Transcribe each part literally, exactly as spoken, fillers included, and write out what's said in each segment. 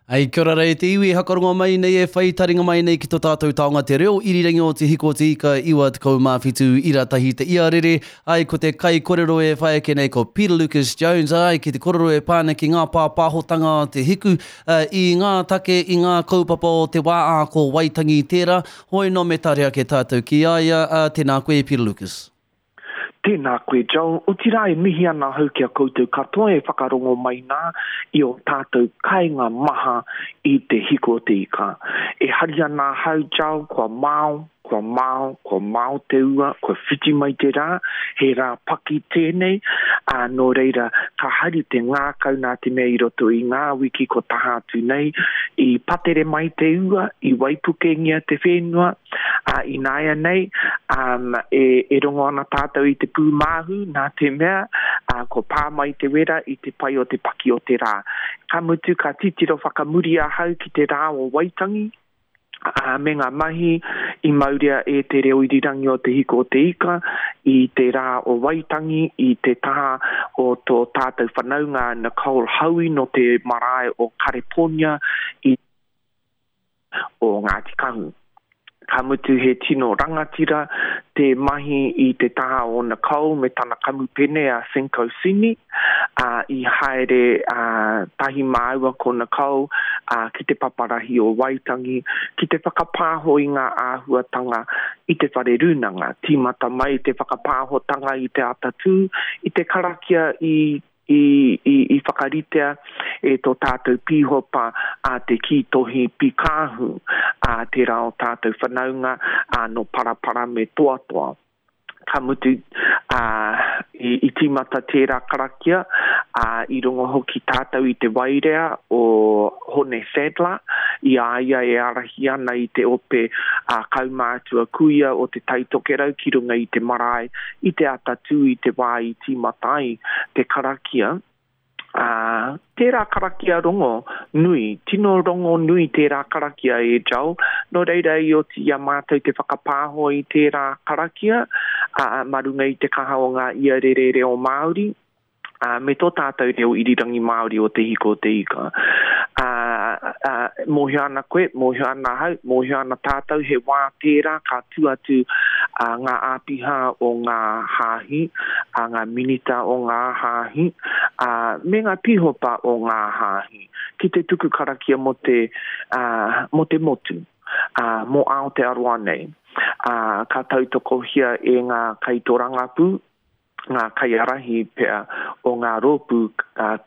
Ei, kia ora rei te iwi, hakarongo mai nei e whai taringa mai nei ki tō tātou taonga te reo irirangi o te hiko te ika iwa tekau mā whitu ira tahi te iarere. Ai, ko te kai korero e whai ake nei ko Peter Lucas Jones, ai, ki te korero e pāna ki ngā pāpāhotanga o te hiku, uh, i ngā take, i ngā kaupapa o te wā ā ko Waitangi tērā. Hoi no me tare ake tātou ki a ia, uh, tēnā koe Peter Lucas. Tēnā koe, Joel. Otirā e mihi ana ahau ki a koutou katoa e whakarongo mai nā i o tātou kainga maha i te hiko o te ika. E hari ana ahau, Joel, kua mao, kua mao, kua mao te ua, kua whiti mai te rā, he rā paki tēnei, ā, nō reira, ka hari te ngākau nā te mea i roto i ngā wiki ko taha atu nei, i patere mai te ua, i waipukengia te whenua, ā, ināianei, um, e, e rongo ana tātou i te pūmāhu, nā te mea, ā, ko pā mai te wera i te pai o te paki o te rā. Ka mutu, ka titiro whakamuri ahau ki te rā o Waitangi, ā, me ngā mahi i mauria e te reo irirangi o Te Hiko o Te Ika i te rā o Waitangi, i te taha o tō tātou whanaunga Nicole Howie nō te marae o Kareponia i o Ngāti Kahu. Ka mutu he tino rangatira te mahi i te taha o Nicole me tana kamupene a Cinco Sini, ā, i haere ā, tahi māua ko Nicole ā, ki te paparahi o Waitangi ki te whakapāho i ngā āhuatanga i te whare rūnanga. Tīmata mai te whakapāhotanga i te atatū, i te karakia i i, i, i whakaritea e tō tātou pīhopa a te Kītohi Pikāhu, a tērā o tātou whanaunga a no Parapara me Toatoa. Ka mutu, a, i, i tīmata tērā karakia, a, i rongo hoki tātou i te wairea o Hone Sadler, i a ia e ārahi ana i te ope a kaumātua kuia o te Tai Tokerau ki runga i te marae, i te atatū i te wā i tīmata ai te karakia. Ā, tērā karakia rongo nui, tino rongo nui tērā karakia e Joel, nō reira i oti i a mātou te whakapāho i tērā karakia, ā, mā runga i te kaha o ngā iarere reo Māori, ā, me tō tātou reo irirangi Māori o Te Hiko o Te Ika. Ā, ā, mōhio ana koe, mōhio ana ahau, mōhio ana tātou he wā tērā ka tū atu ā, ngā āpiha o ngā hāhi, ā, ngā minita o ngā hāhi, ā, me ngā pīhopa o ngā hāhi, ki te tuku karakia mō te, ā, mō te motu, ā, mō Aotearoa nei. Ā, ka tautokohia e ngā kaitōrangapū, ngā kaiārahi pea o ngā rōpū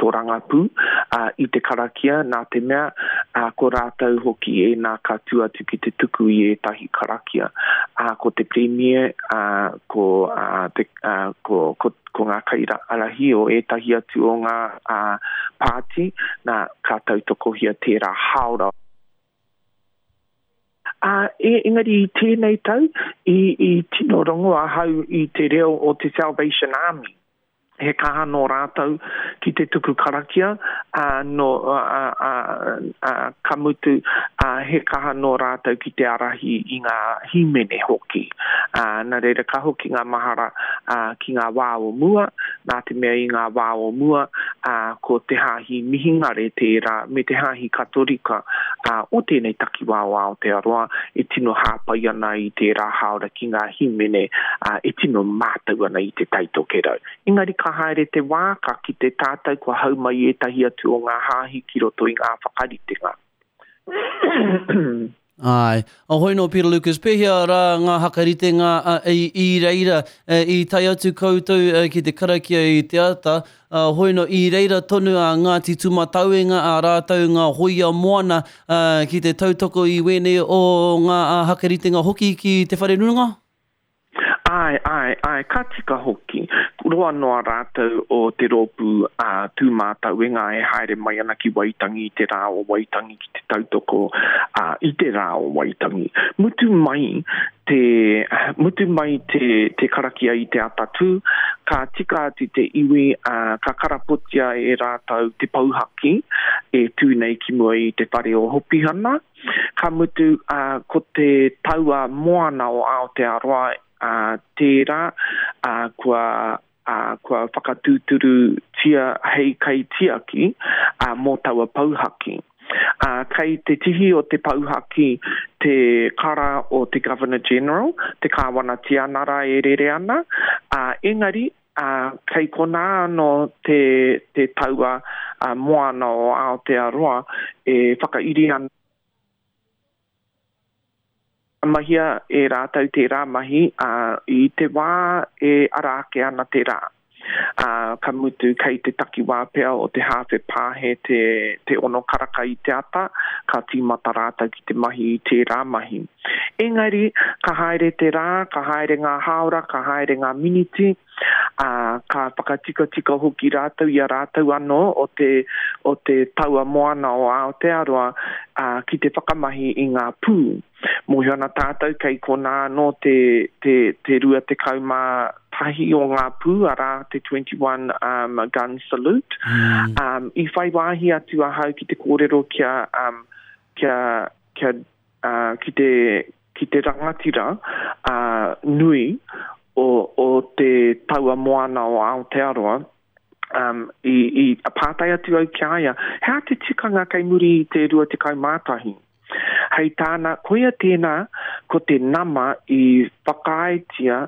tōrangapū i te karakia, nā te mea ko rātou hoki ēnā ka tū atu ki te tuku i ētahi karakia. Ko te Premier, ko, te, ko, ko, ko ngā kaiārahi o ētahi atu o ngā pāti, nā, ka tautokohia tērā hāora. Ā, engari i tēnei tau, i, i tino rongo ahau i te reo o te Salvation Army. He kaha nō rātou ki te tuku karakia, ā, nō, ā, ā, ā, ka mutu, ā, he kaha nō rātou ki te ārahi i ngā hīmene hoki. Ā, nā reira ka hoki ngā mahara, ā, ki ngā wā o mua, nā te mea i ngā wā o mua, ā, ko te Hāhi Mihingare tērā me te Hāhi Katorika, ā, o tēnei takiwā o Aotearoa e tino hāpai ana i tērā hāora ki ngā hīmene, ā, e tino mātau ana i te Tai Tokerau. Engari ka haere te wā, ka kite tātou kua hau mai ētahi atu o ngā hāhi ki roto i ngā whakaritenga. Āe. Ahoi nō Peter Lucas, pēhea rā ngā hakaritenga i, i reira i tae atu koutou ki te karakia i te ata, hoi nō i reira tonu a Ngāti Tūmatauenga a rātou ngā hōia moana ki te tautoko i wēnei o ngā hakaritenga hoki ki te whare rūnanga? Āe, āe, āe, ka tika hoki. Roa noa rātou o te rōpū a Tūmātauenga e haere mai ana ki Waitangi i te rā o Waitangi ki te tautoko ā, i te rā o Waitangi. Mutu mai te, mutu mai te, te karakia i te atatū, ka tika atu te iwi, ā, ka karapotia e rātou te pouhaki e tū nei ki mua i te whare o Hopihana. Ka mutu, ā, ko te taua moana o Aotearoa ā, tērā, ā, kua, ā, kua whakatūturutia hei kaitiaki, ā, mō taua pouhaki. Ā, kei te tihi o te pouhaki te kara o te Governor General, te Kāwana Tianara e rere ana, ā, engari, ā, kei konā anō te, te taua moana o Aotearoa e whakairi ana. Mahia e rātou tērā mahi, ā, i te wā e ara ake ana te rā. Ā, ka mutu kei te takiwā pea o te hāwhe pāhe te, te ono karaka i te ata, ka tīmata rātou ki te mahi i tērā mahi. Engari, ka haere te rā, ka haere ngā hāora, ka haere ngā miniti, ā, ka whakatikatika hoki rātou i a rātou anō o te, o te taua moana o Aotearoa, ā, ki te whakamahi i ngā pū. Mōhio ana tātou kei konā anō te, te, te rua tekau mā tahi o ngā pū, arā, te twenty one um, gun salute. Mm. Um, i whai wāhi atu ahau ki te kōrero kia, um, kia, kia, uh, ki te, ki te rangatira uh, nui o, o te taua moana o Aotearoa. Um, i, i pātai atu au ki a ia, he aha te tikanga kei muri i te rua tekau mā tahi? Hei tāna, koia tēnā, ko te nama i whakaaetia,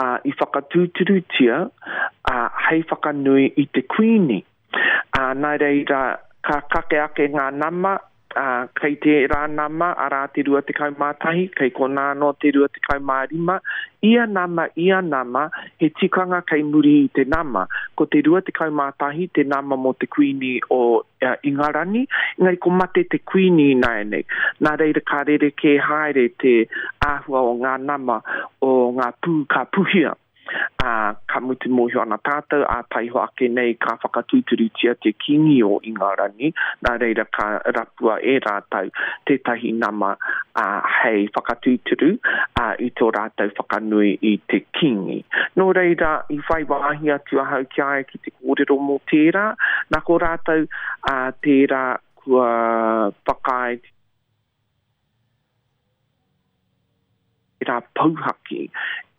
uh, i whakatūturutia, uh, hei whakanui i te kuini. Uh, nā reira, ka kake ake ngā nama, uh, kei tērā nama, arā te rua tekau mā tahi, kei konā anō te rua tekau mā rima, ia nama, ia nama, he tikanga kei muri i te nama. Ko te rua tekau mā tahi te nama mō te kuini o uh, Ingarani, engari ko mate te kuini ināianei. Nā reira ka rerekē haere te āhua o ngā nama o ngā pū ka puhia. Ā, ka mutu mōhio ana tātou, ā taihoa ake nei ka whakatūturutia te Kīngi o Ingarani, nā reira ka rapua e rātou tētahi nama ā, hei whakatūturu ā, i tō rātou whakanui i te Kīngi. Nō reira, i whai wāhi atu ahau ki a ia ki te kōrero mō tērā, nā ko rātou ā, tērā kua whakaae tērā pouhaki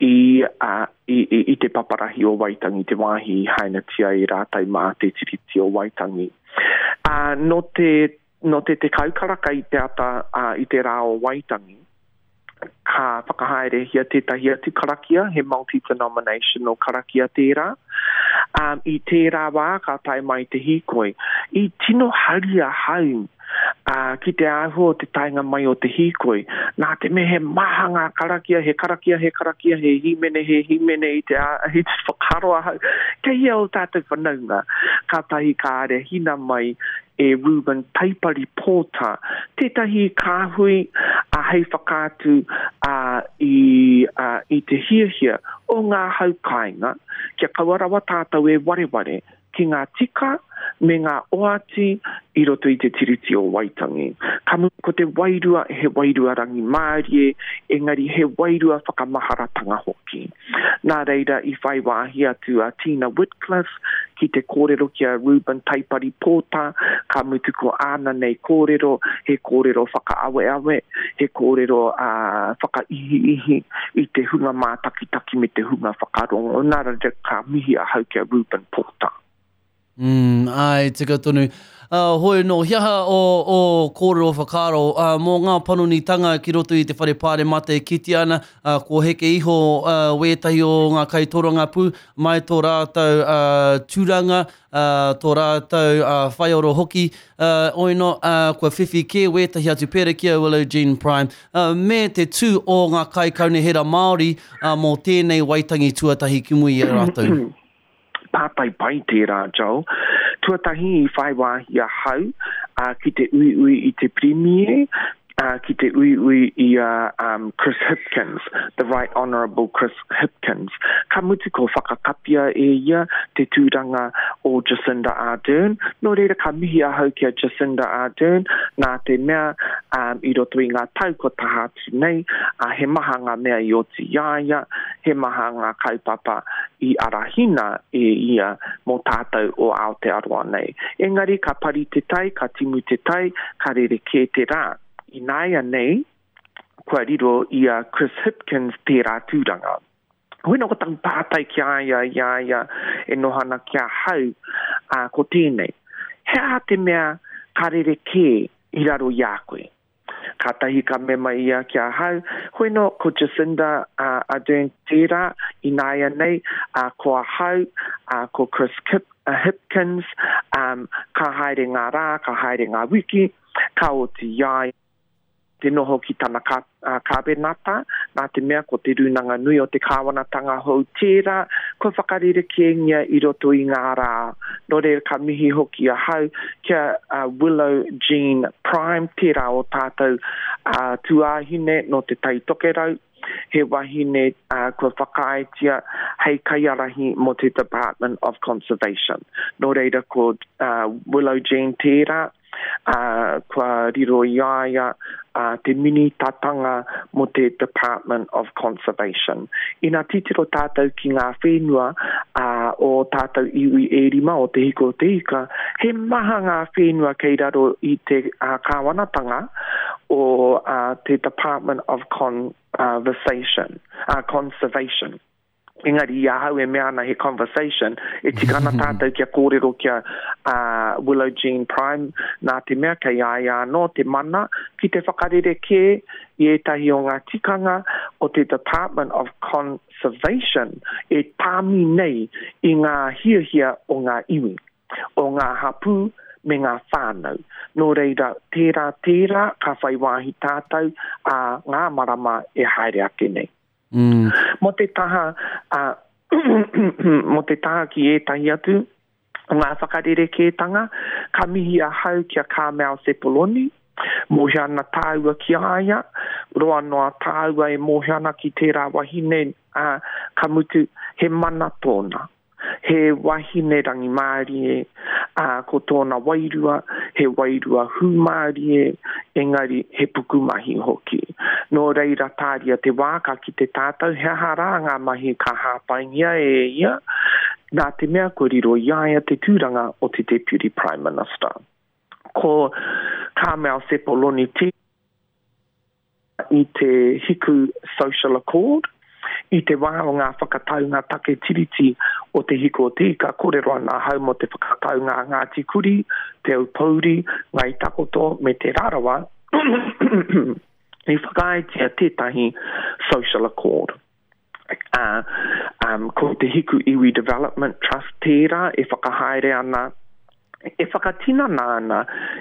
i, uh, i, i, i te paparahi o Waitangi, te wāhi i hainatia e rātou mā te Tiriti o Waitangi. Uh, nō te, nō te tekau karaka i te ata uh, i te rā o Waitangi, ka whakahaerehia tētahi atu karakia, he multi-denominational karakia tērā. Um, i tērā wā ka tae mai te hīkoi. I tino hari ahau uh, ki te āhua o te taenga mai o te hīkoi. Nā te mea he maha ngā karakia, he karakia, he karakia, he hīmene, he hīmene i te, i te whakaaro ahau. Kei hea ō tātou whanaunga? Kātahi ka arahina mai e Reuben Taipari Pōta, tētahi kāhui uh, hei whakaatu uh, i, uh, i te hiahia o ngā hau kāinga, kia kaua rawa tātou e wareware ki ngā tika me ngā oati i roto i te Tiriti o Waitangi. Ka mutu ko te wairua, he wairua rangimārie, engari he wairua whakamaharatanga hoki. Nā reira i whai wāhi atu a Tina Whitcliffe ki te kōrero ki a Reuben Taipari Pōta, ka mutu ko āna nei kōrero, he kōrero whakaaweawe, he kōrero uh, whakaihiihi i te hunga mātakitaki me te hunga whakarongo. Nā reira ka mihi ahau ki a Reuben Pōta. Mm, ai, tika tonu. Uh, hoi no, he aha o, o kōrero whakaaro uh, mō ngā panonitanga ki roto i te whare pāremata e kitea ana, uh, ko heke iho uh, wētahi o ngā kaitorangapū mai tō rātou uh, tūranga, uh, tō rātou uh, whaioro hoki, uh, oino, uh, kua whiwhi kē wētahi atu pērā ki a Willow Jean Prime, uh, me te tū o ngā kaikaunihera Māori uh, mō tēnei Waitangi tuatahi ki muri i a rātou. Pātai pai tērā, Joel. Tuatahi i whai wāhi ahau uh, ki te uiui i te Premier, uh, ki te uiui i a um, Chris Hipkins, the Right Honourable Chris Hipkins. Ka mutu ko whakakapia e ia te tūranga o Jacinda Ardern. Nō reira ka mihi ahau ki a Jacinda Ardern, nā te mea um, i roto i ngā tau ko taha atu nei, uh, he maha ngā mea i oti i a ia, he maha ngā kaupapa i arahina e ia mō tātou o Aotearoa nei. Engari ka pari te tai, ka timu te tai, ka rerekē te rā. Ināia nei, kua riro i a Chris Hipkins tērā tūranga. Hoi nō ko taku pātai ki a ia, i a ia e noho ana ki ahau, uh, ko tēnei. He aha te mea ka rerekē i raro i a koe. Kātahi ka mema ia ki ahau, hoi no, ko Jacinda uh, Ardern tērā ināianei, uh, ko ahau, uh, ko Chris Kip, uh, Hipkins, um, ka haere ngā rā, ka haere ngā wiki, ka oti i a ia te noho ki tana ka, uh, kābenata, nā te mea ko te rūnanga nui o te kāwanatanga hou tērā, kua whakarerekēngia i roto i ngā rā. Nō reira ka mihi hoki ahau ki a uh, Willow Jean Prime, tērā o tātou uh, tuāhine nō Te Tai Tokerau, he wahine uh, kua whakaaetia hei kaiārahi mō te Department of Conservation. Nō reira ko uh, Willow Jean tērā, uh, kua riro i a ia uh, te minitatanga mō te Department of Conservation. Ina titiro tātou ki ngā whenua uh, o tātou iwi e rima o Te Hiko o Te Ika, he maha ngā whenua kei raro i te uh, kāwanatanga o uh, te Department of Conversation, uh, Conservation. Engari i ahau e mea ana he conversation, e tika ana tātou kia kōrero ki a uh, Willow Jean Prime, nā te mea kei a ia anō te mana ki te whakarerekē i ētahi o ngā tikanga o te Department of Conservation e tāmi nei i ngā hiahia o ngā iwi, o ngā hapū me ngā whānau. Nō reira, tērā tērā ka whai wāhi tātou a ngā marama e haere ake nei. Mm. Mō te taha, uh, mō te taha ki ētahi atu o ngā whakarerekētanga, ka mihi ahau ki a Carmel Sepuloni, mōhio ana tāua ki a ia, roa noa tāua e mōhio ana ki tērā wahine, uh, ka mutu he mana tōna. He wahine rangimārie, uh, ko tōna wairua, he wairua hūmārie, engari he pukumahi hoki. Nō reira tāria te wā ka kite tātou he aha rā ngā mahi ka hāpaingia e ia, nā te mea ko riro i a ia te tūranga o te Deputy Prime Minister. Ko Carmel Sepuloni te i te Hiku Social Accord, i te wā o ngā whakataunga take tiriti o Te Hiko o Te Ika, kōrero ana ahau mō te whakataunga a Ngāti Kuri, Te Aupōuri, Ngāi Takoto me Te Rarawa, i whakaaetia tētahi social accord. Uh, um, ko te Hiku Iwi Development Trust tērā e whakahaere ana, e whakatinana ana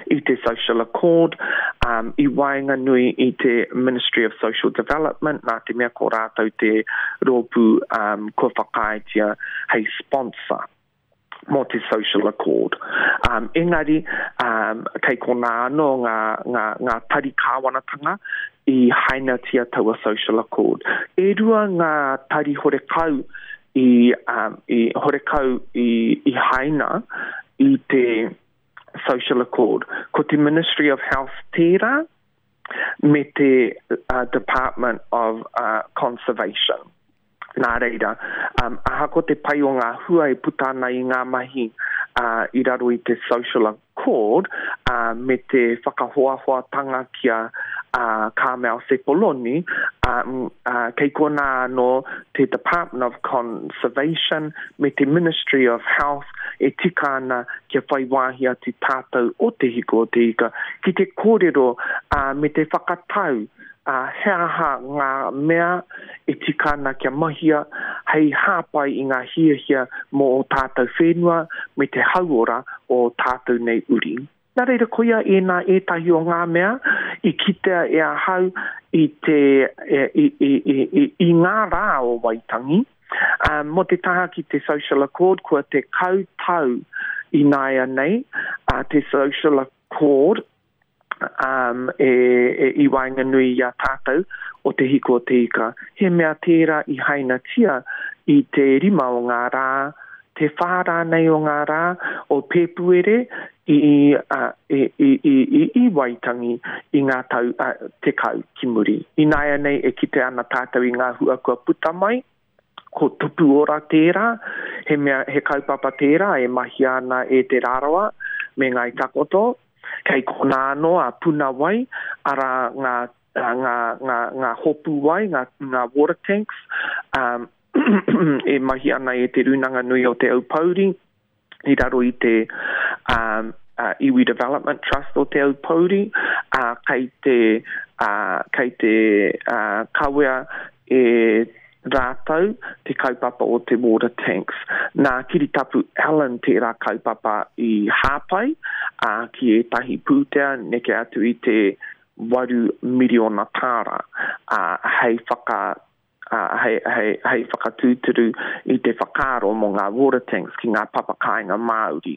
i te social accord um, i waenganui i te Ministry of Social Development, nā te mea ko rātou te rōpū um, kua whakaaetia hei sponsor mō te social accord. Um, engari, um, kei konā anō ngā, ngā, ngā tari kāwanatanga i hainatia taua social accord. E rua ngā tari horekau i, um, i, horekau i, i haina i te social accord. Ko te Ministry of Health tērā me te uh, Department of uh, Conservation. Nā reira, um, ahako te pai o ngā hua e puta ana i ngā mahi uh, i raro i te social accord uh, me te whakahoahoatanga ki a uh, Carmel Sepuloni, um, uh, kei konā anō te Department of Conservation me te Ministry of Health e tika ana kia whai wāhi atu tātou o Te Hiko o Te Ika ki te kōrero uh, me te whakatau uh, he aha ngā mea e tika ana kia mahia hei hāpai i ngā hiahia mō o tātou whenua me te hauora o tātou nei uri. Nā reira koia ēnā ētahi o ngā mea i kitea e ahau i, te, e, i, i, i, i, i ngā rā o Waitangi. Um, mō te taha ki te social accord, kua tekau tau ināianei, uh, te social accord um, e, e, i waenganui i a tātou o Te Hiko o Te Ika. He mea tērā i hainatia i te rima o ngā rā, te whā rānei o ngā rā o Pēpuere i, uh, i, i, i, i, i Waitangi i ngā tau uh, tekau ki muri. Ināianei e kite ana tātou i ngā hua kua puta mai, ko Tupu Ora tērā, he, mea, he kaupapa tērā e mahia ana e Te Rarawa me Ngāi Takoto. Kei konā anō a Puna Wai, arā ngā, ngā, ngā, ngā hopu wai, ngā, ngā water tanks, um, e mahi ana e Te Rūnanga Nui o Te Aupōuri, i raro i te um, uh, Iwi Development Trust o Te Aupōuri. ā, kei te, ā, kei te, ā, kawea e rātou te kaupapa o te water tanks. Nā Kiritapu Allan tērā kaupapa i hāpai, ā, ki ētahi pūtea neke atu i te waru miriona tāra, ā, hei whaka, ā, hei, hei, hei whakatūturu i te whakaaro mō ngā water tanks ki ngā papakāinga Māori.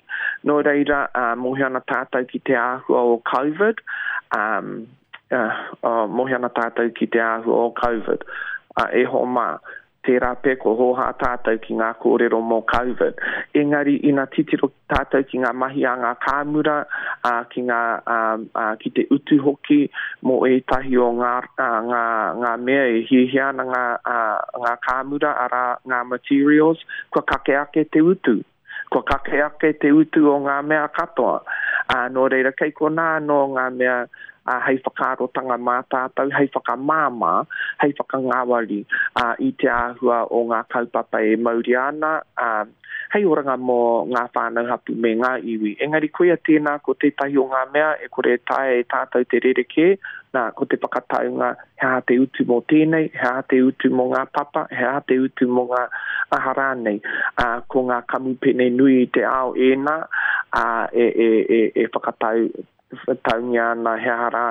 Nō reira, ā, mōhio ana tātou ki te āhua o COVID, ā, ā, mōhio ana tātou ki te āhua o COVID. Ā, e hoa mā, tērā pea ko hōhā tātou ki ngā kōrero mō COVID. Engari, ina titiro tātou ki ngā mahi a ngā kāmura, ā, ki ngā, ā, ā, ki te utu hoki mō ētahi o ngā, ā, ngā, ngā mea e hiahia ana ngā, ā, ngā kāmura, arā, ngā materials, kua kake ake te utu. Kua kake ake te utu o ngā mea katoa. Ā, nō reira, kei konā anō ngā mea, ā, hei whakaarotanga mā tātou, hei whakamāmā, hei whakangāwari, ā, i te āhua o ngā kaupapa e mauria ana, ā, hei oranga mō ngā whānau hapū me ngā iwi. Engari koia tēnā ko tētahi o ngā mea e kore e taea e tātou te rerekē, nā, ko te whakataunga he aha te utu mō tēnei, he aha te utu mō ngā papa, he aha te utu mō ngā aha rānei. Ā, ko ngā kamupene nui i te ao ēnā, ā, e, e, e, e whakatau taungia ana he aha rā,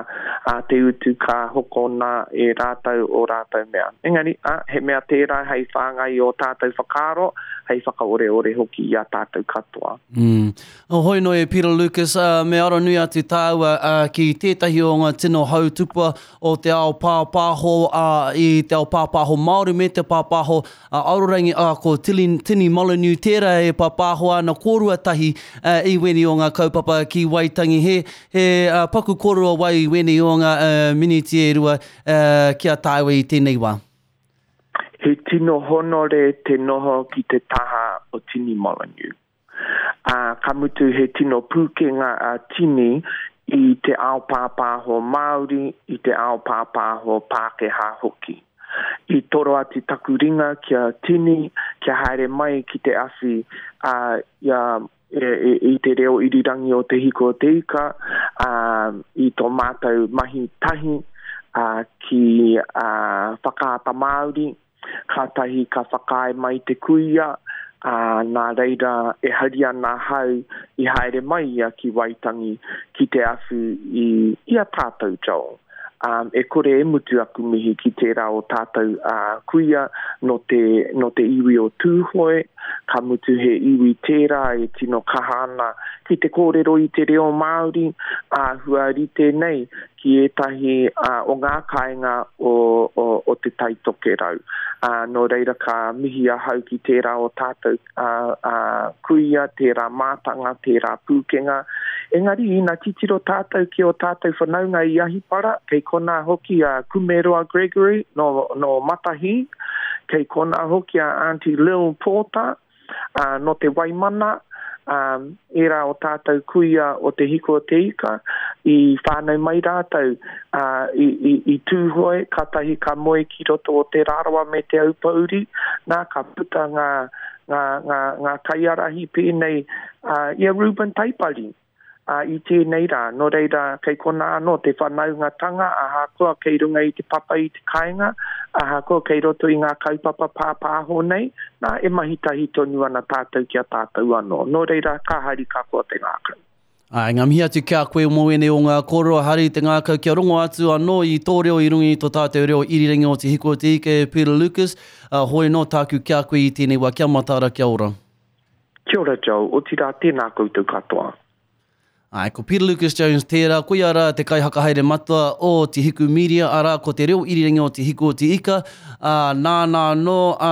ā, te utu ka hokona e rātou ō rātou mea. Engari, ā, he mea tērā hei whāngai i ō tātou whakaaro, hei whakaoreore hoki i a tātou katoa. Mm. Oh, hoi noi e Peter Lucas, uh, me aronui atu tāua uh, ki tētahi o ngā tino hautupua o te ao pāpāho, uh, i te ao pāpāho Māori me te pāpāho uh, arorangi, uh, ko Tini, Tini Molyneux tērā e pāpāho ana kōrua tahi uh, i weni o ngā kaupapa ki Waitangi. He, he uh, paku kōrua wai i weni o ngā uh, miniti e rua uh, ki a tāua i tēnei wā. He tino honore te noho ki te taha o Tini Molyneux. Ā, ka mutu he tino pūkenga a Tini i te ao pāpāho Māori, i te ao pāpāho Pākehā hoki. I toro atu taku ringa ki a Tini, kia haere mai ki te awhi, ā, i a, e, e, i te reo irirangi o Te Hiko o Te Ika, ā, i tō mātou mahi tahi, ā, ki, ā, Whakaata Māori, kātahi ka whakaae mai te kuia, ā, nā reira e hari ana ahau i haere mai ia ki Waitangi ki te awhi i, i a tātou, Joel. Um, e kore e mutu aku mihi ki tērā o tātou, ā, kuia nō te, nō te iwi o Tūhoe, ka mutu he iwi tērā e tino kaha ana ki te kōrero i te reo Māori, āhua rite nei ki ētahi, ā, o ngā kāinga o, o, o Te Tai Tokerau. Ā, nō reira ka mihi ahau ki tērā o tātou, ā, ā, kuia, tērā mātanga, tērā pūkenga. Engari, ina titiro tātou ki ō tātou whanaunga i Ahipara, kei konā hoki a Kumeroa Gregory nō, nō Matahī, kei konā hoki a Auntie Lil Porter, ā, nō Te Waimana, ā, ērā o tātou kuia o Te Hiko o Te Ika, i whānau mai rātou, ā, i, i, i Tūhoe, kātahi ka moe ki roto o Te Rarawa me Te Aupōuri, nā, ka puta ngā, ngā, ngā, ngā kaiārahi pēnei, ā, i a Reuben Taipari, ā, i tēnei rā. Nō reira, kei konā anō te whanaungatanga, ahakoa kei runga i te papa i te kāinga, ahakoa kei roto i ngā kaupapa pāpāho nei, nā, e mahi tahi tonu ana tātou ki a tātou anō. Nō reira, ka hari ka koa te ngākau. Āe, ngā mihi atu ki a koe mō ēnei o ngā kōrero, hari te ngākau kia rongo atu anō i tō reo i runga i tō tātou reo irirangi o Te Hiko o Te Ika e Peter Lucas. Uh, hoi nō tāku ki a koe i tēnei wā, kia mataara, kia ora. Kia ora, Joel, otirā tēnā koutou katoa. Āe, ko Peter Lucas Jones tērā, koia rā te kaihakahaere matua o Te Hiku Media, arā ko te reo irirangi o Te Hiku o Te Ika, ā, nāna anō, ā,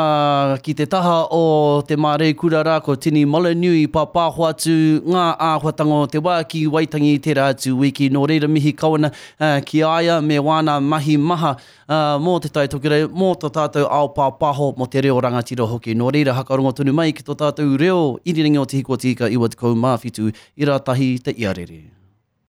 ki te taha o te māreikura rā, ko Tini Molyneux i pāpāho atu ngā āhuatanga o te wā ki Waitangi i tērā atu wiki. Nō reira mihi kau ana, ā, ki a ia me wāna mahi maha, ā, mō Te Tai Tokerau, mō tō tātou ao pāpāho, mō te reo rangatira hoki. Nō reira hakarongo tonu mai ki tō tātou reo irirangi o Te Hiku o Te Ika iwa tekau mā whitu, ira tahi te iarere.